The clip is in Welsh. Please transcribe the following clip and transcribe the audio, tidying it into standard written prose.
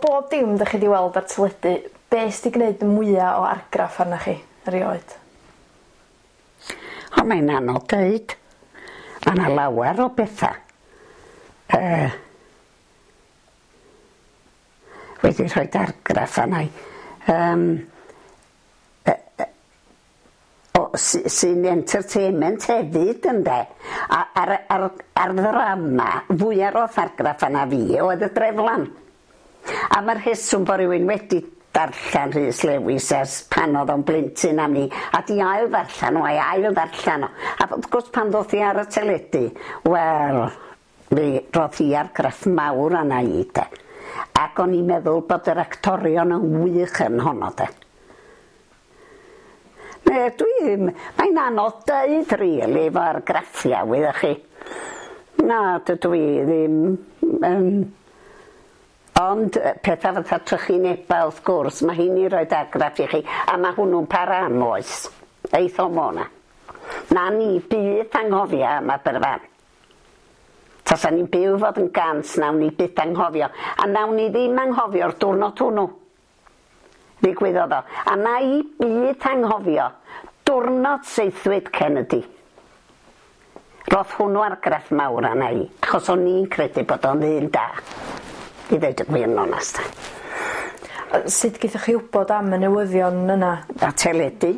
bob dim 'dach chi 'di weld ar teledu, be' sy 'di gneud mwya o argraff arnoch chi erioed? O mae'n anodd deud. Ma' 'na lawer o betha. Yy. Wedi rhoid argraff arna i. Yym. Yy yy o sy- sy'n entertainment hefyd ynde? A ar y ar ar ddrama fwya roth argraff arna fi oedd y Dreflan. A ma'r rheswm bo' rywun wedi darllan Rhys Lewis ers pan o'dd o'n blentyn am 'ny a 'di ail ddarllan o a'i ail ddarllan o a wrth gwrs pan ddoth 'i ar y teledu wel mi roth hi argraff mawr arna i de. Ac o'n i'n meddwl bod yr actorion yn wych yn honno de. Ne dwi ddim mae'n anodd deud rili efo argraffiau wyddoch chi. Na dydw i ddim yn Ond petha fatha trychineba wrth gwrs, ma' heini roid argraff i chi, a ma' hwnnw'n para am oes. Eith o mo' 'na. Na ni byth anghofio am Aberfan. Tasa ni'n byw fod yn gant nawn ni byth anghofio, a nawn ni ddim anghofio'r diwrnod hwnnw. Ddigwyddodd o. A na i byth anghofio diwrnod saethwyd Kennedy. Roth hwnnw argraff mawr arna i, achos o'n i'n credu bod o'n ddyn da, i ddeud y gwir yn onast. Sut gaethoch chi wbod am y newyddion yna? A teledu.